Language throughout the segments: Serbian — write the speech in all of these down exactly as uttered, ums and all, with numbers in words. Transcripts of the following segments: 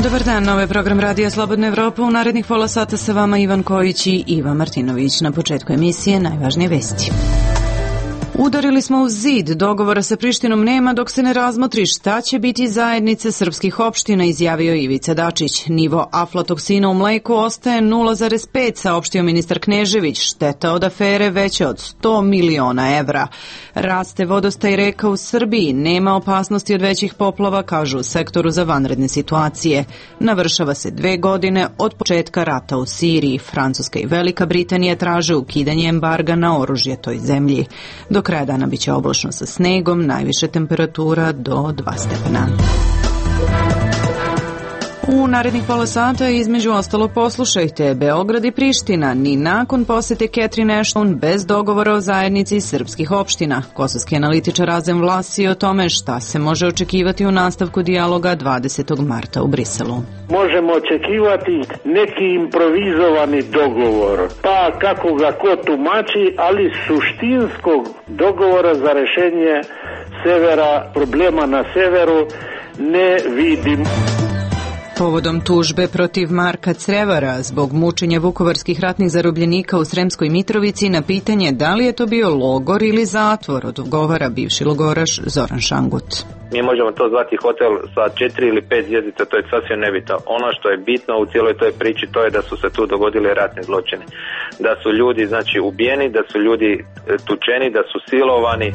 Dobar dan, ovo je program Radija Slobodna Evropa. U narednih pola sata sa vama Ivan Kojić i Iva Martinović. Na početku emisije najvažnije vesti. Udarili smo u zid, dogovora sa Prištinom nema dok se ne razmotri šta će biti zajednice srpskih opština, izjavio Ivica Dačić. Nivo aflatoksina u mleku ostaje nula zarez pet, saopštio ministar Knežević. Šteta od afere veća od sto miliona evra. Raste vodostaj reka u Srbiji, nema opasnosti od većih poplava, kažu u sektoru za vanredne situacije. Navršava se dve godine od početka rata u Siriji. Francuska i Velika Britanija traže ukidanje embarga na oružje toj zemlji. Do kraja dana biće oblačno sa snegom, najviše temperatura do dva stepena. U narednih pola sata između ostalo poslušajte Beograd i Priština ni nakon posete Catherine Ashton bez dogovora o zajednici srpskih opština. Kosovski analitičar Razem Vlasi o tome šta se može očekivati u nastavku dijaloga dvadesetog marta u Briselu. Možemo očekivati neki improvizovani dogovor, pa kako ga ko tumači, ali suštinskog dogovora za rešenje severa, problema na severu ne vidim. Povodom tužbe protiv Marka Crevara zbog mučenja vukovarskih ratnih zarobljenika u Sremskoj Mitrovici na pitanje da li je to bio logor ili zatvor, odgovara bivši logoraš Zoran Šangut. Mi možemo to zvati hotel sa četiri ili pet zvjezdica, to je sasvim nebitno. Ono što je bitno u cijeloj toj priči to je da su se tu dogodili ratni zločini. Da su ljudi znači ubijeni, da su ljudi tučeni, da su silovani.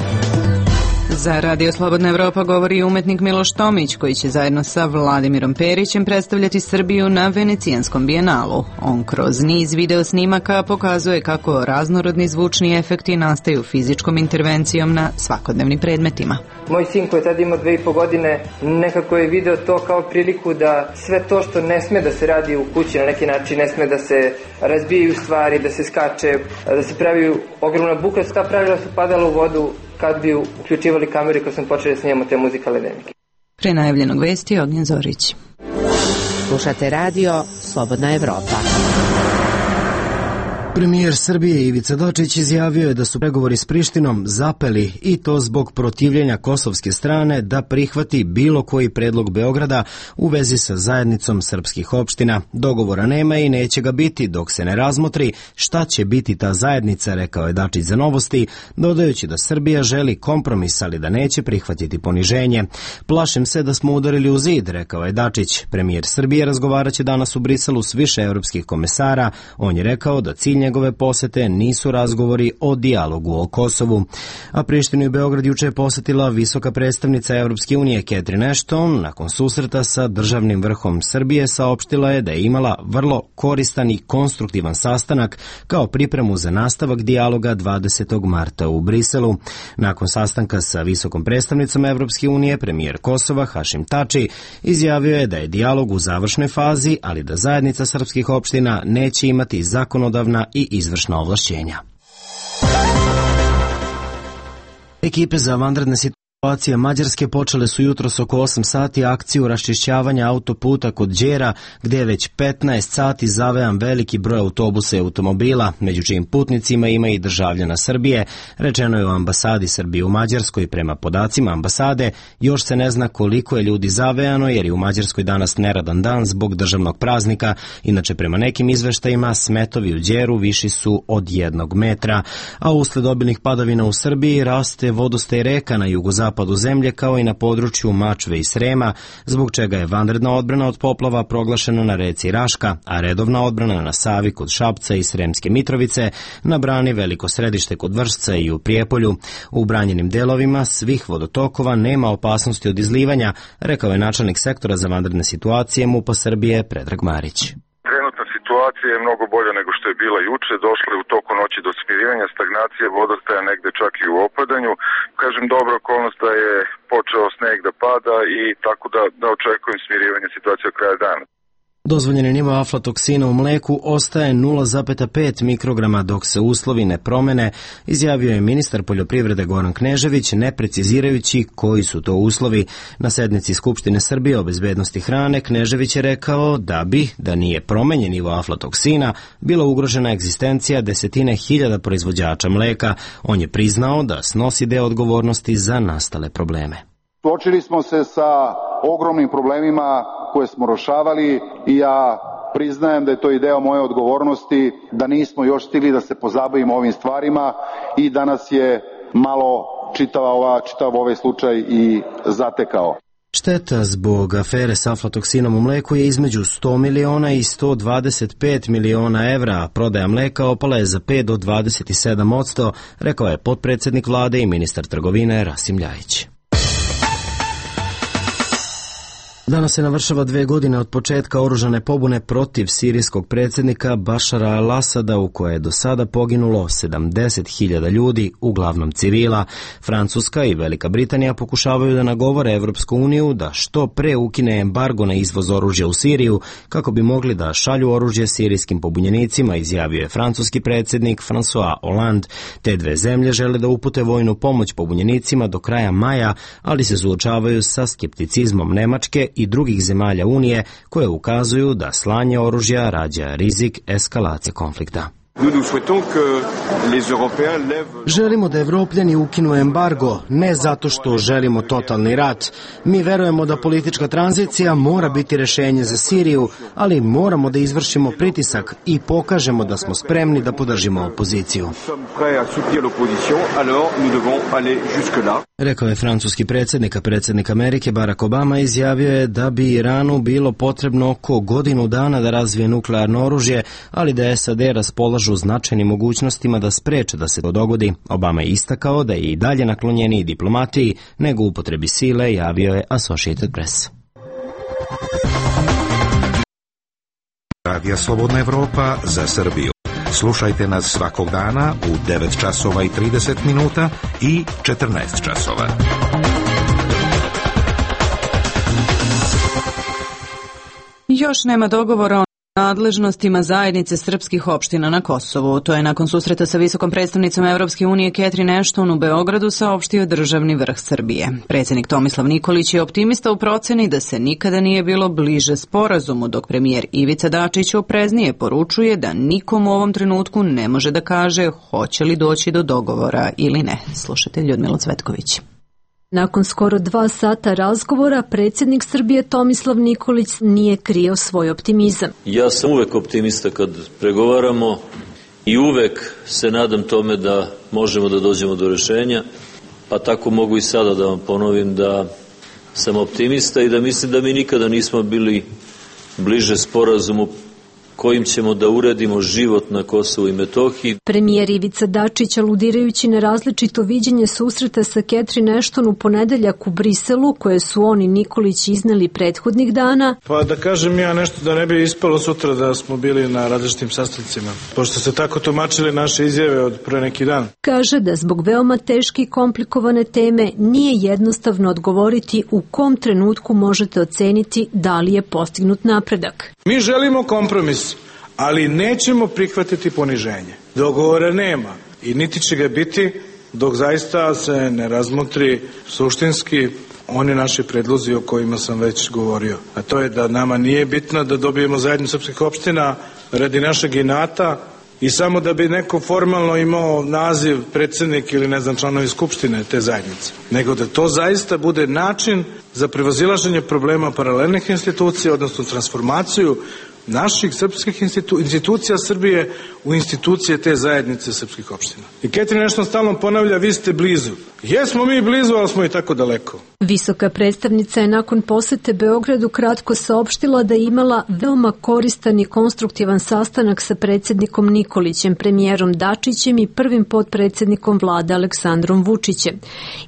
Za Radio Slobodna Evropa govori umetnik Miloš Tomić, koji će zajedno sa Vladimirom Perićem predstavljati Srbiju na Venecijanskom bijenalu. On kroz niz video snimaka pokazuje kako raznorodni zvučni efekti nastaju fizičkom intervencijom na svakodnevnim predmetima. Moj sin koji je tada imao dve i po godine nekako je video to kao priliku da sve to što ne sme da se radi u kući na neki način, ne sme da se razbijaju stvari, da se skače, da se pravi ogromna buka, ta pravila su padala u vodu kad bi uključivali kamere kad sam počeli da snimamo te muzikalne dnevnike. Pre najavljenog vesti Ognjen Zorić. Slušate radio Slobodna Evropa. Premijer Srbije Ivica Dačić izjavio je da su pregovori s Prištinom zapeli i to zbog protivljenja kosovske strane da prihvati bilo koji predlog Beograda u vezi sa zajednicom srpskih opština. Dogovora nema i neće ga biti dok se ne razmotri šta će biti ta zajednica, rekao je Dačić za Novosti, dodajući da Srbija želi kompromis, ali da neće prihvatiti poniženje. Plašim se da smo udarili u zid, rekao je Dačić. Premijer Srbije razgovaraće danas u Briselu s više evropskih komesara. On je rekao da cilj njegove posete nisu razgovori o dijalogu o Kosovu. A Prištinu i Beograd juče je posetila visoka predstavnica Evropske unije Catherine Ashton. Nakon susreta sa državnim vrhom Srbije saopštila je da je imala vrlo koristan i konstruktivan sastanak kao pripremu za nastavak dijaloga dvadesetog marta u Briselu. Nakon sastanka sa visokom predstavnicom Evropske unije, premijer Kosova Hašim Tači izjavio je da je dijalog u završnoj fazi, ali da zajednica srpskih opština neće imati zakonodavna i izvršna ovlašćenja. Ekipe za vanredne situacije Mađarske počele su jutros oko osam sati akciju raščišćavanja autoputa kod Đera, gdje je već petnaest sati zavejan veliki broj autobusa i automobila, među čijim putnicima ima i državljana Srbije. Rečeno je u ambasadi Srbije u Mađarskoj. Prema podacima ambasade, još se ne zna koliko je ljudi zavejano, jer je u Mađarskoj danas neradan dan zbog državnog praznika. Inače, prema nekim izveštajima, smetovi u Đeru viši su od jednog metra. A usled obilnih padavina u Srbiji raste vodostaj reka na jugozapadu zapadu zemlje kao i na području Mačve i Srema, zbog čega je vanredna odbrana od poplava proglašena na reci Raška, a redovna odbrana na Savi kod Šapca i Sremske Mitrovice, na brani Veliko Središte kod Vršca i u Prijepolju. U branjenim delovima svih vodotokova nema opasnosti od izlivanja, rekao je načelnik sektora za vanredne situacije MUP-a Srbije Predrag Marić. Situacija je mnogo bolja nego što je bila juče, došla je u toku noći do smirivanja, stagnacije vodostaja negde čak i u opadanju. Kažem, dobra okolnost da je počeo sneg da pada i tako da, da očekujem smirivanje situacije od kraja dana. Dozvoljeni nivo aflatoksina u mleku ostaje nula zarez pet mikrograma dok se uslovi ne promene, izjavio je ministar poljoprivrede Goran Knežević, ne precizirajući koji su to uslovi. Na sednici Skupštine Srbije o bezbednosti hrane Knežević je rekao da bi, da nije promenjen nivo aflatoksina, bila ugrožena egzistencija desetine hiljada proizvođača mleka. On je priznao da snosi deo odgovornosti za nastale probleme. Suočili smo se sa ogromnim problemima koje smo rešavali i ja priznajem da je to i deo moje odgovornosti, da nismo još stigli da se pozabavimo ovim stvarima i da nas je malo čitava ova, čitav ovaj slučaj i zatekao. Šteta zbog afere s aflatoksinom u mleku je između sto miliona i sto dvadeset pet miliona evra, a prodaja mleka opala je za pet do dvadeset sedam posto, rekao je potpredsednik vlade i ministar trgovine Rasim Ljajić. Danas se navršava dve godine od početka oružane pobune protiv sirijskog predsjednika Bašara al-Asada, u koje je do sada poginulo sedamdeset hiljada ljudi, uglavnom civila. Francuska i Velika Britanija pokušavaju da nagovore Evropsku uniju da što pre ukine embargo na izvoz oružja u Siriju, kako bi mogli da šalju oružje sirijskim pobunjenicima, izjavio je francuski predsjednik François Hollande. Te dve zemlje žele da upute vojnu pomoć pobunjenicima do kraja maja, ali se suočavaju sa skepticizmom Nemačke i drugih zemalja Unije koje ukazuju da slanje oružja rađa rizik eskalacije konflikta. Želimo da Evropljani ukinu embargo, ne zato što želimo totalni rat. Mi verujemo da politička tranzicija mora biti rešenje za Siriju, ali moramo da izvršimo pritisak i pokažemo da smo spremni da podržimo opoziciju. Rekao je francuski predsjednik, a predsjednik Amerike Barack Obama izjavio je da bi Iranu bilo potrebno oko godinu dana da razvije nuklearno oružje, ali da S A D raspolažu značajnim mogućnostima da spreče da se to dogodi. Obama je istakao da je i dalje naklonjeniji diplomatiji nego upotrebi sile, javio je Associated Press. Radio Slobodna Evropa za Srbiju. Slušajte nas svakog dana u devet časova i trideset minuta i četrnaest časova. Još nema dogovora o nadležnostima zajednice srpskih opština na Kosovu. To je nakon susreta sa visokom predstavnicom Evropske unije Catherine Ashton u Beogradu saopštio državni vrh Srbije. Predsjednik Tomislav Nikolić je optimista u proceni da se nikada nije bilo bliže sporazumu, dok premijer Ivica Dačić opreznije poručuje da nikom u ovom trenutku ne može da kaže hoće li doći do dogovora ili ne. Slušajte Ljudmilu Cvetković. Nakon skoro dva sata razgovora, predsjednik Srbije Tomislav Nikolić nije krio svoj optimizam. Ja sam uvek optimista kad pregovaramo i uvek se nadam tome da možemo da dođemo do rešenja, pa tako mogu i sada da vam ponovim da sam optimista i da mislim da mi nikada nismo bili bliže sporazumu kojim ćemo da uredimo život na Kosovu i Metohiji. Premijer Ivica Dačić, aludirajući na različito viđenje susreta sa Catherine Ashton u ponedeljak u Briselu, koje su on i Nikolić izneli prethodnih dana. Pa da kažem ja nešto da ne bi ispalo sutra da smo bili na različitim sastancima, pošto ste tako tumačili naše izjave od pre neki dan. Kaže da zbog veoma teške i komplikovane teme nije jednostavno odgovoriti u kom trenutku možete oceniti da li je postignut napredak. Mi želimo kompromis, ali nećemo prihvatiti poniženje. Dogovora nema i niti će ga biti dok zaista se ne razmotri suštinski oni naši predlozi o kojima sam već govorio. A to je da nama nije bitno da dobijemo zajednicu srpskih opština radi našeg inata i samo da bi neko formalno imao naziv predsjednik ili ne znam članovi skupštine te zajednice, nego da to zaista bude način za prevazilaženje problema paralelnih institucija, odnosno transformaciju naših srpskih institu, institucija Srbije u institucije te zajednice srpskih opština. I Catherine Ashton stalno ponavlja, vi ste blizu. Jesmo mi blizu, ali smo i tako daleko. Visoka predstavnica je nakon posete Beogradu kratko saopštila da je imala veoma koristan i konstruktivan sastanak sa predsjednikom Nikolićem, premijerom Dačićem i prvim potpredsjednikom vlade Aleksandrom Vučićem.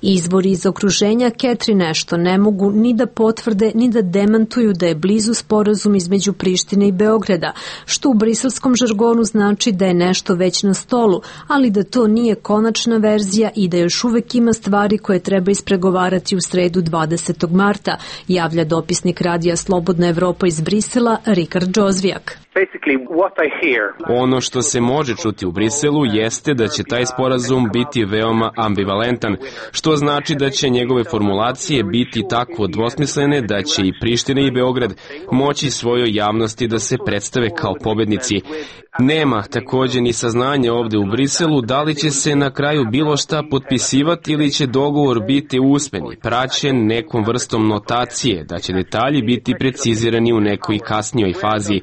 Izvori iz okruženja Catherine Ashton ne mogu ni da potvrde ni da demantuju da je blizu sporazum između Prištine i Beograda, što u briselskom žargonu znači da je nešto već na stolu, ali da to nije konačna verzija i da još uvek ima stvari koje treba ispregovarati u sredu dvadesetog marta, javlja dopisnik radija Slobodna Evropa iz Brisela Rikard Džozvijak. Ono što se može čuti u Briselu jeste da će taj sporazum biti veoma ambivalentan, što znači da će njegove formulacije biti tako dvosmislene da će i Priština i Beograd moći svojoj javnosti da se predstave kao pobednici. Nema takođe ni saznanja ovde u Briselu da li će se na kraju bilo šta potpisivati ili će dogovor biti usmeni, praćen nekom vrstom notacije, da će detalji biti precizirani u nekoj kasnijoj fazi.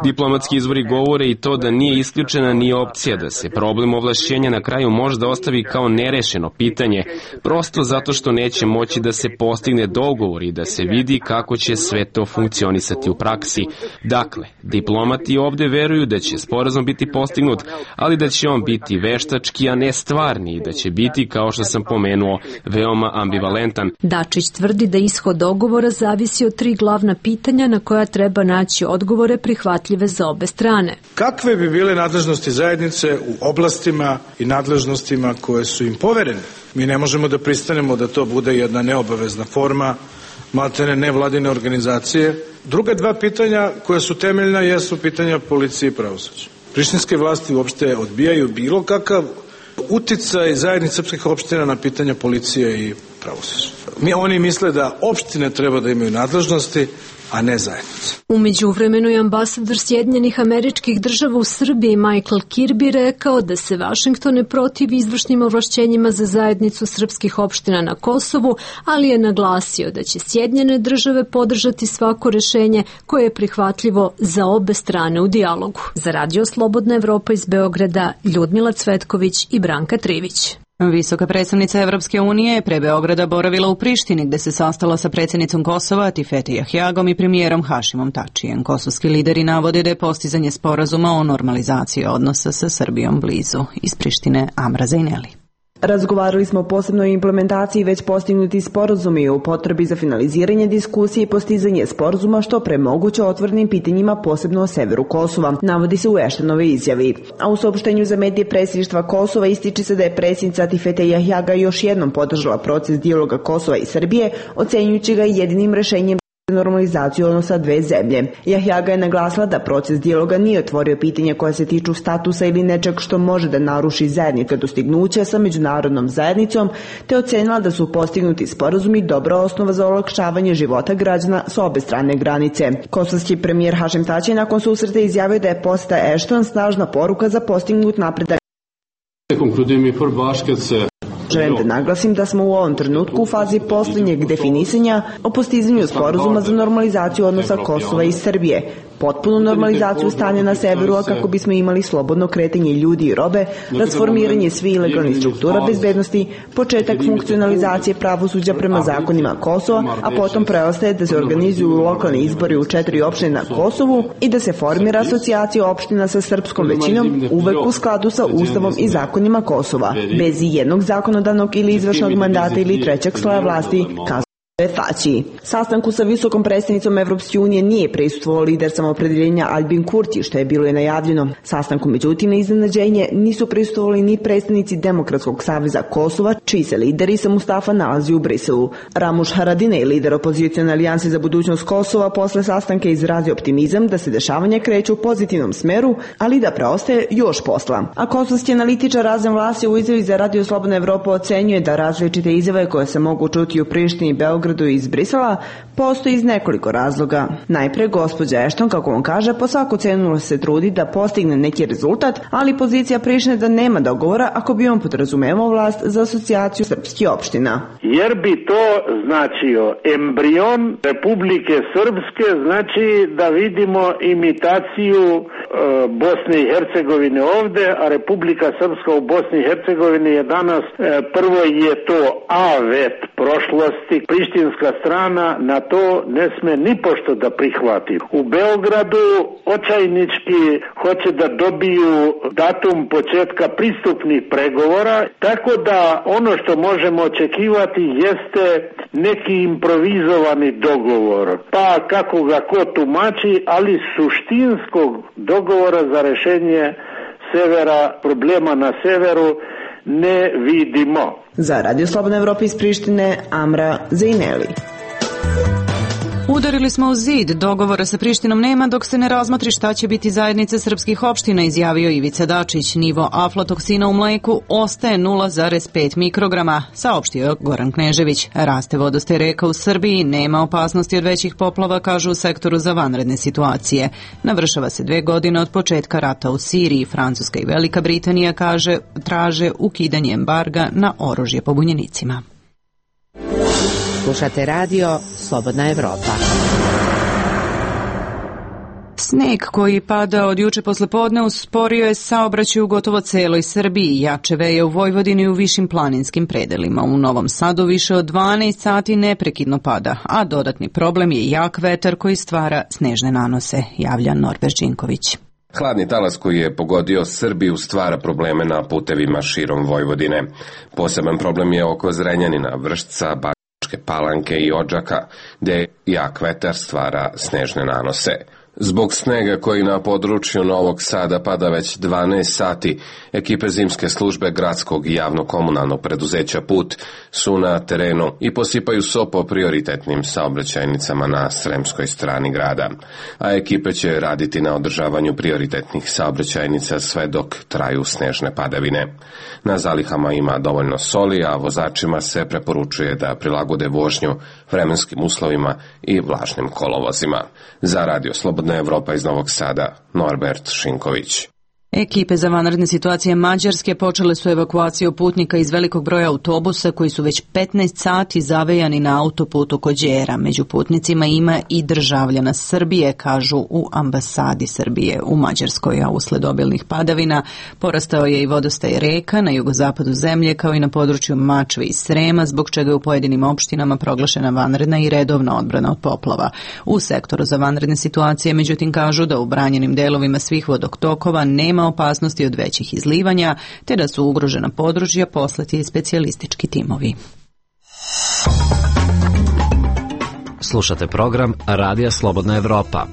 Diplomatski izvori govore i to da nije isključena ni opcija da se problem ovlašćenja na kraju možda ostavi kao nerešeno pitanje, prosto zato što neće moći da se postigne dogovor i da se vidi kako će sve to funkcionisati u praksi. Dakle, diplomati ovde veruju da će sporazum biti postignut, ali da će on biti veštački, a ne stvarni i da će biti, kao što sam pomenuo, veoma ambivalentan. Dačić tvrdi da ishod dogovora zavisi od tri glavna pitanja na koja treba naći odgovore prihvatljive za obe strane. Kakve bi bile nadležnosti zajednice u oblastima i nadležnostima koje su im poverene? Mi ne možemo da pristanemo da to bude jedna neobavezna forma, maltene nevladine organizacije. Druga dva pitanja koja su temeljna jesu pitanja policije i pravosuđa. Prištinske vlasti uopšte odbijaju bilo kakav uticaj zajednice srpskih opština na pitanja policije i pravosuđa. Mi, oni misle da opštine treba da imaju nadležnosti, a ne zajednica. U međuvremenu je ambasador Sjedinjenih Američkih Država u Srbiji Michael Kirby rekao da se Vašington ne protivi izvršnim ovlašćenjima za zajednicu srpskih opština na Kosovu, ali je naglasio da će Sjedinjene Države podržati svako rešenje koje je prihvatljivo za obe strane u dijalogu. Za Radio Slobodna Evropa iz Beograda, Ljudmila Cvetković i Branka Trivić. Visoka predstavnica Evropske unije je pre Beograda boravila u Prištini gde se sastala sa predsjednicom Kosova Tifete Jahjagom i premijerom Hašimom Tačijem. Kosovski lideri navode da je postizanje sporazuma o normalizaciji odnosa sa Srbijom blizu. Iz Prištine Amra Zajneli. Razgovarali smo o posebnoj implementaciji već postignuti sporazumi i o potrebi za finaliziranje diskusije i postizanje sporazuma što pre moguće otvorenim pitanjima posebno o severu Kosova, navodi se u Eštenove izjavi. A u saopštenju za medije predsjedništva Kosova ističe se da je predsjednica Tifete Jahjaga još jednom podržala proces dijaloga Kosova i Srbije, ocenjujući ga jedinim rešenjem normalizaciju odnosa dve zemlje. Jahjaga je naglasila da proces dijaloga nije otvorio pitanje koje se tiču statusa ili nečeg što može da naruši zajednička dostignuća sa međunarodnom zajednicom, te ocenila da su postignuti sporazumi dobra osnova za olakšavanje života građana s obe strane granice. Kosovski premijer Hašim Tači nakon susreta izjavio da je poseta Ešton snažna poruka za postignut napredak. Želim da naglasim da smo u ovom trenutku u fazi posljednjeg definisanja o postizanju sporazuma za normalizaciju odnosa Kosova i Srbije, potpunu normalizaciju stanja na severu, a kako bismo imali slobodno kretanje ljudi i robe, transformiranje svih ilegalnih struktura bezbednosti, početak funkcionalizacije pravosuđa prema zakonima Kosova, a potom preostaje da se organizuju lokalni izbori u četiri opštine na Kosovu i da se formira asocijacija opština sa srpskom većinom, uvek u skladu sa Ustavom i zakonima Kosova, bez jednog zakonodavnog ili izvršnog mandata ili trećeg sloja vlasti, kazao Tači. Sastanku sa visokom predstavnicom Evropske unije nije prisustvovao lider samoopredeljenja Albin Kurti, što je bilo i najavljeno. Sastanku, međutim, na iznenađenje nisu prisustvovali ni predstavnici Demokratskog saveza Kosova, čiji se lider Isa Mustafa nalazi u Briselu. Ramuš Haradinaj, lider opozicione alijanse za budućnost Kosova, posle sastanka izrazio optimizam da se dešavanja kreću u pozitivnom smeru, ali da preostaje još posla. A kosovski analitičar Razem Vlasi u izjavi za Radio Slobodna Evropa ocenjuje da različite izjave koje se mogu čuti u Prištini i Beogradu iz Brisela postoji iz nekoliko razloga. Najpre, gospođa Ešton, kako on kaže, po svaku cenu se trudi da postigne neki rezultat, ali pozicija Prištine da nema dogovora ako bi on podrazumevao vlast za asocijaciju srpskih opština. Jer bi to značio embrion Republike Srpske, znači da vidimo imitaciju e, Bosne i Hercegovine ovde, a Republika Srpska u Bosni i Hercegovini je danas, e, prvo je to avet prošlosti, prištinska strana na to ne sme ni pošto da prihvati. U Beogradu očajnički hoće da dobiju datum početka pristupnih pregovora, tako da ono što možemo očekivati jeste neki improvizovani dogovor. Pa kako ga ko tumači, ali suštinskog dogovora za rešenje severa, problema na severu ne vidimo. Za Radio Slobodna Evropa iz Prištine, Amra Zajneli. U Udarili smo u zid, dogovora sa Prištinom nema dok se ne razmotri šta će biti zajednice srpskih opština, izjavio Ivica Dačić. Nivo aflatoksina u mleku ostaje nula zarez pet mikrograma, saopštio Goran Knežević. Raste vodostaj reka u Srbiji, nema opasnosti od većih poplava, kažu u sektoru za vanredne situacije. Navršava se dve godine od početka rata u Siriji. Francuska i Velika Britanija kaže, traže ukidanje embarga na oružje pobunjenicima. Slušate radio Slobodna Evropa. Sneg koji pada od juče poslepodne usporio je saobraćaj u gotovo celoj Srbiji. Jače veje u Vojvodini i u višim planinskim predelima. U Novom Sadu više od dvanaest sati neprekidno pada, a dodatni problem je jak vetar koji stvara snežne nanose, javlja Norbert Žinković. Hladni talas koji je pogodio Srbiju stvara probleme na putevima širom Vojvodine. Poseban problem je oko Zrenjanina, Vršca, Bačke Palanke i Odžaka, gde jak vetar stvara snežne nanose. Zbog snega koji na području Novog Sada pada već dvanaest sati, ekipe zimske službe gradskog i javno-komunalnog preduzeća Put su na terenu i posipaju so po prioritetnim saobraćajnicama na sremskoj strani grada, a ekipe će raditi na održavanju prioritetnih saobraćajnica sve dok traju snežne padavine. Na zalihama ima dovoljno soli, a vozačima se preporučuje da prilagode vožnju vremenskim uslovima i vlažnim kolovozima. Za Radio Slobodna Evropa iz Novog Sada, Norbert Šinković. Ekipe za vanredne situacije Mađarske počele su evakuaciju putnika iz velikog broja autobusa koji su već petnaest sati zavejani na autoputu kod Đera. Među putnicima ima i državljana Srbije, kažu u ambasadi Srbije u Mađarskoj, a usled obilnih padavina porastao je i vodostaj reka na jugozapadu zemlje kao i na području Mačve i Srema, zbog čega je u pojedinim opštinama proglašena vanredna i redovna odbrana od poplava. U sektoru za vanredne situacije, međutim, kažu da u branjenim delovima svih vodotokova nema opasnosti od većih izlivanja, te da su ugrožena područja poslati specijalistički timovi. Slušate program Radija Slobodna Evropa.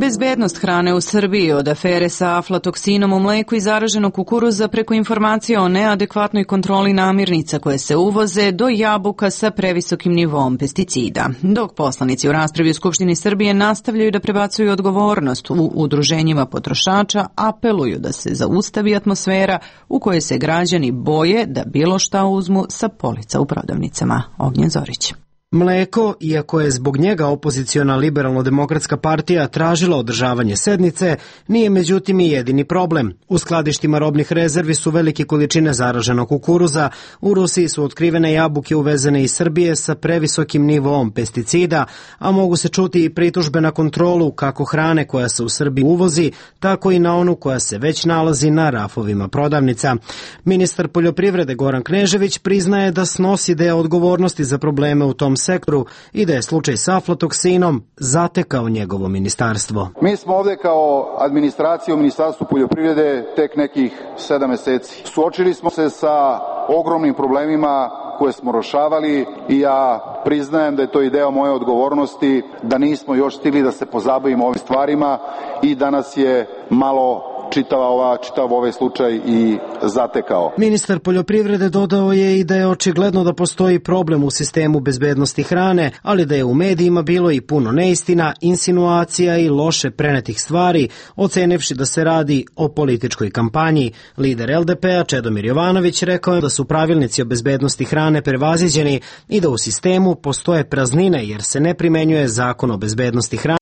Bezbednost hrane u Srbiji, od afere sa aflatoksinom u mleku i zaraženog kukuruza preko informacija o neadekvatnoj kontroli namirnica koje se uvoze do jabuka sa previsokim nivom pesticida. Dok poslanici u raspravi u Skupštini Srbije nastavljaju da prebacuju odgovornost u udruženjima potrošača, apeluju da se zaustavi atmosfera u kojoj se građani boje da bilo šta uzmu sa polica u prodavnicama. Ognjen Zorić. Mleko, iako je zbog njega opoziciona liberalno-demokratska partija tražila održavanje sednice, nije međutim i jedini problem. U skladištima robnih rezervi su velike količine zaraženog kukuruza, u Rusiji su otkrivene jabuke uvezene iz Srbije sa previsokim nivoom pesticida, a mogu se čuti i pritužbe na kontrolu kako hrane koja se u Srbiji uvozi, tako i na onu koja se već nalazi na rafovima prodavnica. Ministar poljoprivrede Goran Knežević priznaje da snosi deo odgovornosti za probleme u tom sektoru i da je slučaj sa aflatoksinom zatekao njegovo ministarstvo. Mi smo ovde kao administracija u Ministarstvu poljoprivrede tek nekih sedam meseci. Suočili smo se sa ogromnim problemima koje smo rešavali i ja priznajem da je to i deo moje odgovornosti, da nismo još stigli da se pozabavimo ovim stvarima i da nas je malo čitava ova, čitav ovaj slučaj i zatekao. Ministar poljoprivrede dodao je i da je očigledno da postoji problem u sistemu bezbednosti hrane, ali da je u medijima bilo i puno neistina, insinuacija i loše prenetih stvari, ocenivši da se radi o političkoj kampanji. Lider el de pe a Čedomir Jovanović rekao je da su pravilnici o bezbednosti hrane prevaziđeni i da u sistemu postoje praznine jer se ne primenjuje zakon o bezbednosti hrane,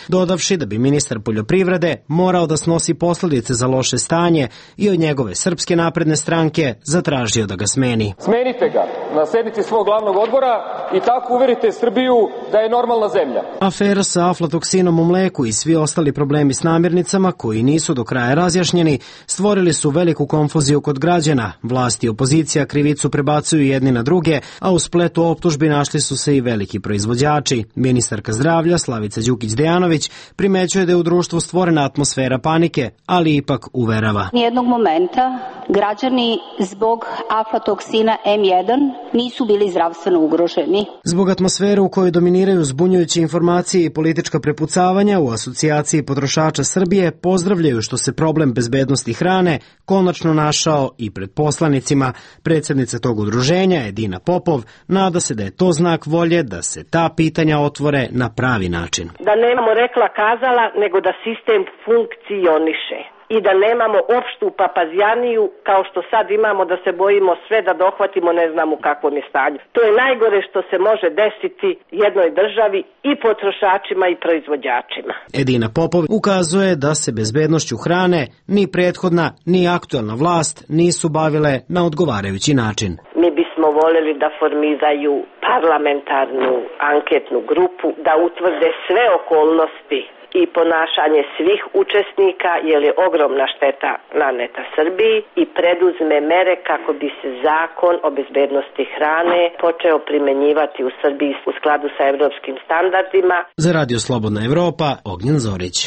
dodavši da bi ministar poljoprivrede morao da snosi posledice za loše stanje i od njegove Srpske napredne stranke zatražio da ga smeni. Smenite ga na sednici svog glavnog odbora i tako uverite Srbiju da je normalna zemlja. Afera sa aflatoksinom u mleku i svi ostali problemi s namirnicama koji nisu do kraja razjašnjeni stvorili su veliku konfuziju kod građana. Vlast i opozicija krivicu prebacuju jedni na druge, a u spletu optužbi našli su se i veliki proizvođači. Ministarka zdravlja Slavica Đukić Dejanović primećuje da je u društvu stvorena atmosfera panike, ali ipak uverava. Nijednog momenta građani zbog aflatoksina em jedan nisu bili zdravstveno ugroženi. Zbog atmosfere u kojoj dominiraju zbunjujuće informacije i politička prepucavanja, u Asocijaciji potrošača Srbije pozdravljaju što se problem bezbednosti hrane konačno našao i pred poslanicima. Predsjednica tog udruženja, Edina Popov, nada se da je to znak volje da se ta pitanja otvore na pravi način. Da nemamo rekla kazala, nego da sistem funkcioniše i da nemamo opštu papazjaniju kao što sad imamo, da se bojimo sve da dohvatimo, ne znam u kakvom je stanju. To je najgore što se može desiti jednoj državi i potrošačima i proizvođačima. Edina Popov ukazuje da se bezbednošću hrane ni prethodna ni aktuelna vlast nisu bavile na odgovarajući način. Mi bismo voljeli da formiraju parlamentarnu anketnu grupu, da utvrde sve okolnosti i ponašanje svih učesnika, jer je ogromna šteta naneta Srbiji, i preduzme mere kako bi se zakon o bezbednosti hrane počeo primenjivati u Srbiji u skladu sa evropskim standardima. Za Radio Slobodna Evropa, Ognjen Zorić.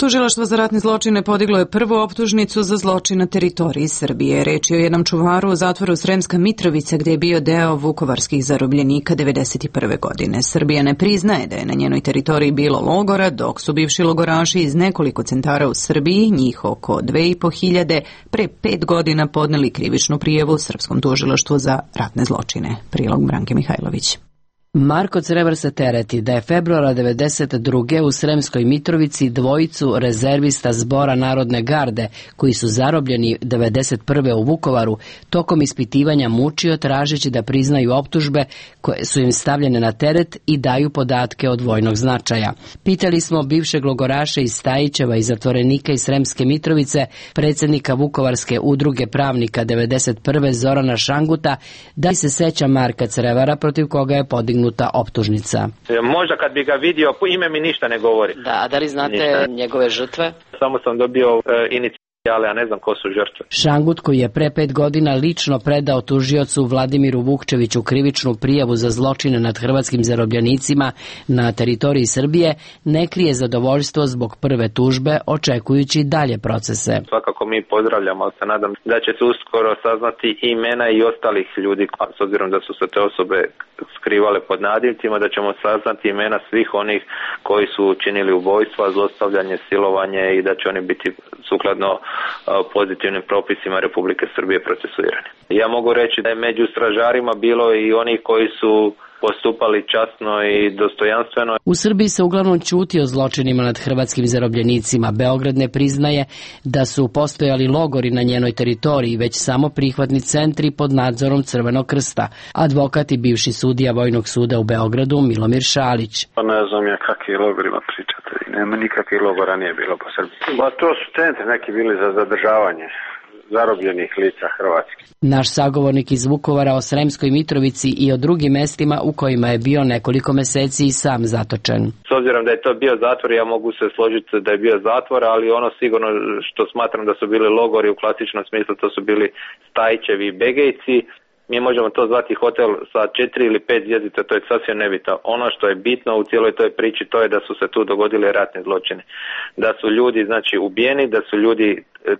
Tužilaštvo za ratne zločine podiglo je prvu optužnicu za zločin na teritoriji Srbije. Reč je o jednom čuvaru u zatvoru Sremska Mitrovica, gdje je bio deo vukovarskih zarobljenika devedeset prve godine. Srbija ne priznaje da je na njenoj teritoriji bilo logora, dok su bivši logoraši iz nekoliko centara u Srbiji, njih oko dve i po hiljade, pre pet godina podneli krivičnu prijavu Srpskom tužilaštvu za ratne zločine. Prilog Branke Mihajlović. Marko Crevar se tereti da je februara devedeset druge u Sremskoj Mitrovici dvojicu rezervista Zbora Narodne garde, koji su zarobljeni devedeset prve u Vukovaru, tokom ispitivanja mučio tražeći da priznaju optužbe koje su im stavljene na teret i daju podatke od vojnog značaja. Pitali smo bivšeg logoraša iz Stajićeva i zatvorenika iz Sremske Mitrovice, predsjednika Vukovarske udruge pravnika devedeset prve Zorana Šanguta, da li se seća Marka Crevara protiv koga je podignuta optužnica. Možda kad bi ga vidio, ime mi ništa ne govori. Da, a da li znate ništa. Njegove žrtve? Samo sam dobio e, inicijale, a ne znam ko su žrtve. Šangut, koji je pre pet godina lično predao tužiocu Vladimiru Vukčeviću krivičnu prijavu za zločine nad hrvatskim zarobljenicima na teritoriji Srbije, ne krije zadovoljstvo zbog prve tužbe, očekujući dalje procese. Svakako mi pozdravljamo, ali se nadam da će se uskoro saznati imena i ostalih ljudi, s obzirom da su se te osobe skrivale pod nadimcima, da ćemo saznati imena svih onih koji su učinili ubojstva, zlostavljanje, silovanje i da će oni biti sukladno pozitivnim propisima Republike Srbije procesuirani. Ja mogu reći da je među stražarima bilo i onih koji su postupali časno i dostojanstveno. U Srbiji se uglavnom ćuti o zločinima nad hrvatskim zarobljenicima. Beograd ne priznaje da su postojali logori na njenoj teritoriji, već samo prihvatni centri pod nadzorom Crvenog krsta. Advokat i bivši sudija Vojnog suda u Beogradu Milomir Šalić. Pa ne znam ja kakvi logorima pričate. Nema nikakvih logora nije bilo po Srbiji. Ba to su centri neki bili za zadržavanje zarobljenih lica hrvatskih. Naš sagovornik iz Vukovara o Sremskoj Mitrovici i o drugim mestima u kojima je bio nekoliko meseci i sam zatočen. S obzirom da je to bio zatvor, ja mogu se složiti da je bio zatvor, ali ono sigurno što smatram da su bili logori u klasičnom smislu, to su bili Stajićevi i Begejci. Mi možemo to zvati hotel sa četiri ili pet zvjezdica, to je sasvim nebitno. Ono što je bitno u cijeloj toj priči, to je da su se tu dogodili ratni zločini. Da su ljudi znači ubijeni, da su ljudi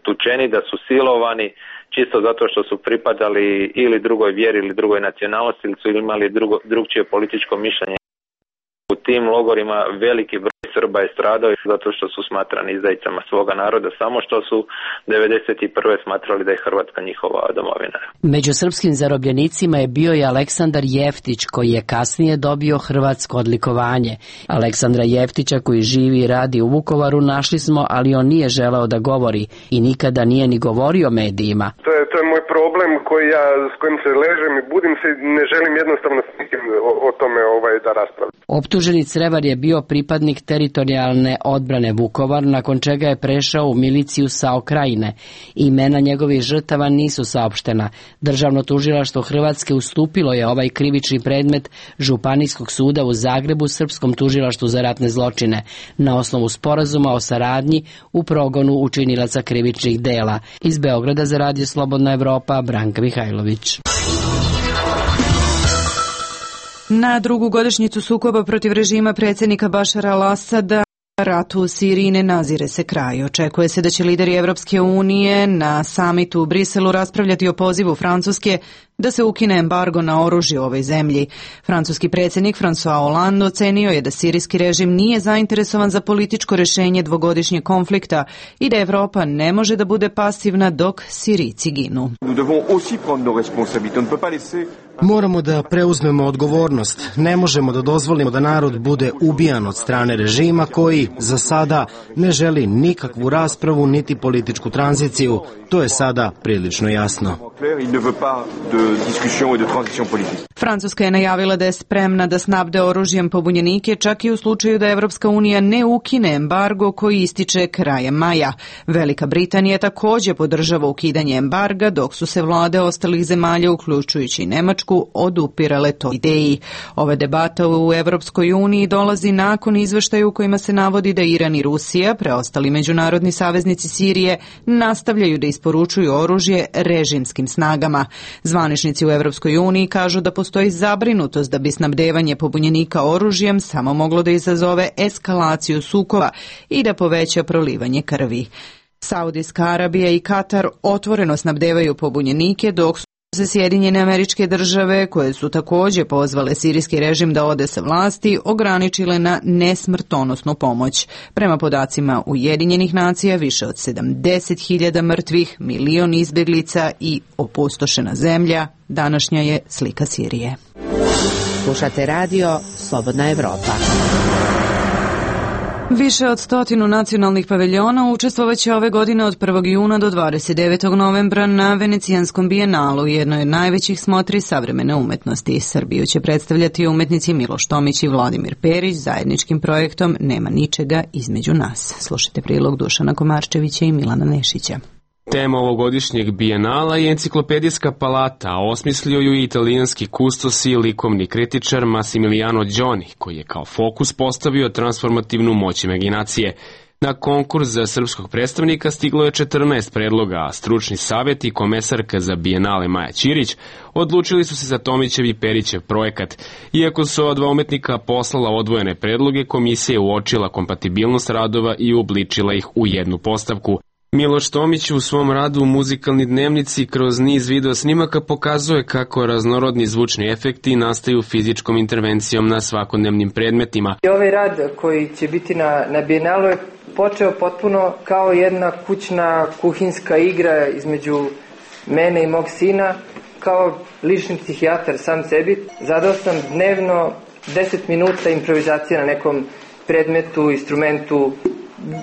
tučeni, da su silovani, čisto zato što su pripadali ili drugoj vjeri ili drugoj nacionalnosti ili su imali drugo, drugčije političko mišljenje. U tim logorima veliki broj Srba je stradao zato što su smatrani izdajicama svoga naroda, samo što su devedeset prve smatrali da je Hrvatska njihova domovina. Među srpskim zarobljenicima je bio i Aleksandar Jeftić, koji je kasnije dobio hrvatsko odlikovanje. Aleksandra Jeftića, koji živi i radi u Vukovaru, našli smo, ali on nije želeo da govori i nikada nije ni govorio medijima. To je, to je moj problem koji ja, s kojim se ležem i budim se, ne želim jednostavno s nikim o, o tome ovaj, da raspravljam. Optuženi Crevar je bio pripadnik teritorijalne odbrane Vukovar, nakon čega je prešao u miliciju SAO Krajine. Imena njegovih žrtava nisu saopštena. Državno tužilaštvo Hrvatske ustupilo je ovaj krivični predmet Županijskog suda u Zagrebu Srpskom tužilaštvu za ratne zločine na osnovu sporazuma o saradnji u progonu učinilaca krivičnih dela. Iz Beograda za Radio Slobodna Evropa, Branka Mihajlović. Na drugu godišnjicu sukoba protiv režima predsjednika Bašara al-Asada, ratu u Siriji ne nazire se kraj. Očekuje se da će lideri Evropske unije na samitu u Briselu raspravljati o pozivu Francuske da se ukine embargo na oružje u ovoj zemlji. Francuski predsjednik François Hollande ocenio je da sirijski režim nije zainteresovan za političko rješenje dvogodišnjeg konflikta i da Evropa ne može da bude pasivna dok Sirijci ginu. Moramo da preuzmemo odgovornost. Ne možemo da dozvolimo da narod bude ubijan od strane režima koji za sada ne želi nikakvu raspravu niti političku tranziciju. To je sada prilično jasno. Francuska je najavila da je spremna da snabde oružjem pobunjenike čak i u slučaju da Evropska unija ne ukine embargo koji ističe krajem maja. Velika Britanija također podržava ukidanje embarga, dok su se vlade ostalih zemalja, uključujući Nemačku, odupirale toj ideji. Ova debata u Evropskoj uniji dolazi nakon izveštaja u kojima se navodi da Iran i Rusija, preostali međunarodni saveznici Sirije, nastavljaju da isporučuju oružje režimskim snagama. Zvaničnici u Evropskoj uniji kažu da postoji zabrinutost da bi snabdevanje pobunjenika oružjem samo moglo da izazove eskalaciju sukoba i da poveća prolivanje krvi. Saudijska Arabija i Katar otvoreno snabdevaju pobunjenike, dok su se Sjedinjene Američke Države, koje su također pozvale sirijski režim da ode sa vlasti, ograničile na nesmrtonosnu pomoć. Prema podacima Ujedinjenih nacija, više od sedamdeset hiljada mrtvih, milion izbjeglica i opustošena zemlja, današnja je slika Sirije. Slušate radio Slobodna Evropa. Više od stotinu nacionalnih paviljona učestvovaće ove godine od prvog juna do dvadeset devetog novembra na Venecijanskom bijenalu, jednoj od najvećih smotri savremene umetnosti. Srbiju će predstavljati umetnici Miloš Tomić i Vladimir Perić zajedničkim projektom Nema ničega između nas. Slušajte prilog Dušana Komarčevića i Milana Nešića. Tema ovogodišnjeg bijenala je enciklopedijska palata, a osmislio ju i italijanski kustos i likovni kritičar Massimiliano Gioni, koji je kao fokus postavio transformativnu moć imaginacije. Na konkurs za srpskog predstavnika stiglo je četrnaest predloga, a stručni savjet i komesarka za bijenale Maja Ćirić odlučili su se za Tomićev i Perićev projekat. Iako su ova dva umetnika poslala odvojene predloge, komisija je uočila kompatibilnost radova i uobličila ih u jednu postavku. Miloš Tomić u svom radu u Muzikalni dnevnici kroz niz video snimaka pokazuje kako raznorodni zvučni efekti nastaju fizičkom intervencijom na svakodnevnim predmetima. Ovaj rad koji će biti na, na bijenalu je počeo potpuno kao jedna kućna kuhinska igra između mene i mog sina, kao lični psihijatar sam sebi. Zadao sam dnevno deset minuta improvizacije na nekom predmetu, instrumentu,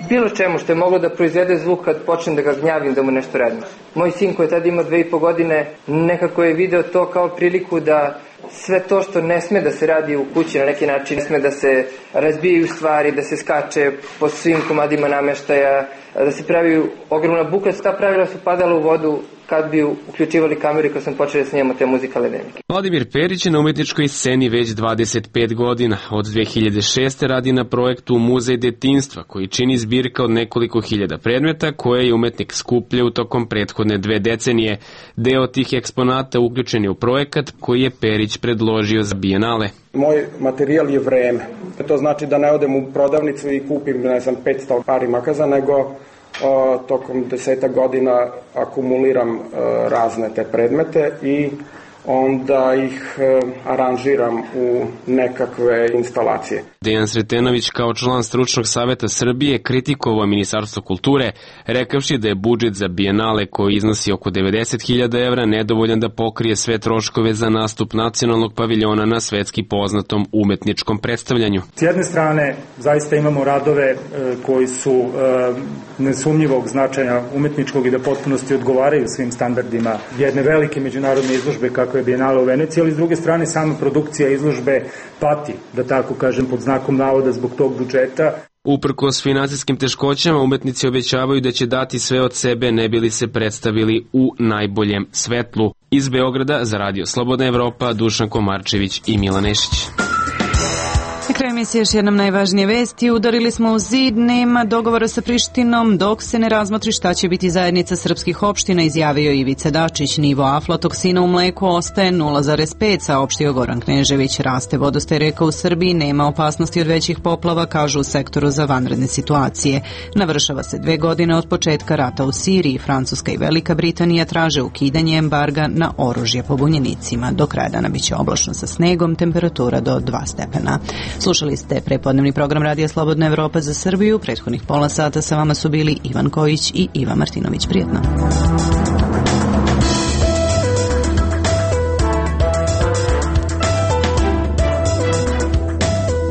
bilo čemu što je moglo da proizvede zvuk kad počnem da ga gnjavim, da mu nešto radim. Moj sin koji je tada imao dve i po godine nekako je video to kao priliku da sve to što ne sme da se radi u kući na neki način, ne sme da se razbijaju stvari, da se skače po svim komadima nameštaja, da se pravi ogromna buka. Ta pravila su padala u vodu kad bi uključivali kameru i kad sam počeo da snimamo te muzikalne dnevnike. Vladimir Perić je na umetničkoj sceni već dvadeset pet godina. Od dve hiljade šeste. radi na projektu Muzej detinjstva, koji čini zbirka od nekoliko hiljada predmeta koje je umetnik skupljao tokom prethodne dve decenije. Deo tih eksponata uključen je u projekat koji je Perić predložio za bijenale. Moj materijal je vreme. To znači da ne odem u prodavnicu i kupim, ne znam, petsto pari makaza, nego O, tokom deseta godina akumuliram e, razne te predmete i onda ih e, aranžiram u nekakve instalacije. Dejan Sretenović kao član stručnog saveta Srbije kritikovao Ministarstvo kulture, rekavši da je budžet za bijenale koji iznosi oko devedeset hiljada evra nedovoljan da pokrije sve troškove za nastup nacionalnog paviljona na svetski poznatom umetničkom predstavljanju. S jedne strane zaista imamo radove e, koji su e, nesumnjivog značaja umetničkog i da potpunosti odgovaraju svim standardima jedne velike međunarodne izložbe kako je bijenale u Veneciji, ali s druge strane sama produkcija izložbe pati, da tako kažem, pod znakom navoda zbog tog budžeta. Uprkos finansijskim teškoćama, umetnici obećavaju da će dati sve od sebe ne bili se predstavili u najboljem svetlu. Iz Beograda za radio Slobodna Evropa, Dušan Komarčević i Milan Nešić. Na kraju emisije još jednom najvažnije vesti. Udarili smo u zid, nema dogovora sa Prištinom dok se ne razmotri šta će biti zajednica srpskih opština, izjavio Ivica Dačić. Nivo aflatoksina u mleku ostaje nula zarez pet, saopštio Goran Knežević. Raste vodostaj reka u Srbiji, nema opasnosti od većih poplava, kažu u sektoru za vanredne situacije. Navršava se dve godine od početka rata u Siriji. Francuska i Velika Britanija traže ukidanje embarga na oružje pobunjenicima. Do kraja dana biće oblačno sa snegom, temperatura do dva stepena. Slušali ste prepodnevni program Radija Slobodna Evropa za Srbiju. Prethodnih pola sata sa vama su bili Ivan Kojić i Iva Martinović. Prijetno.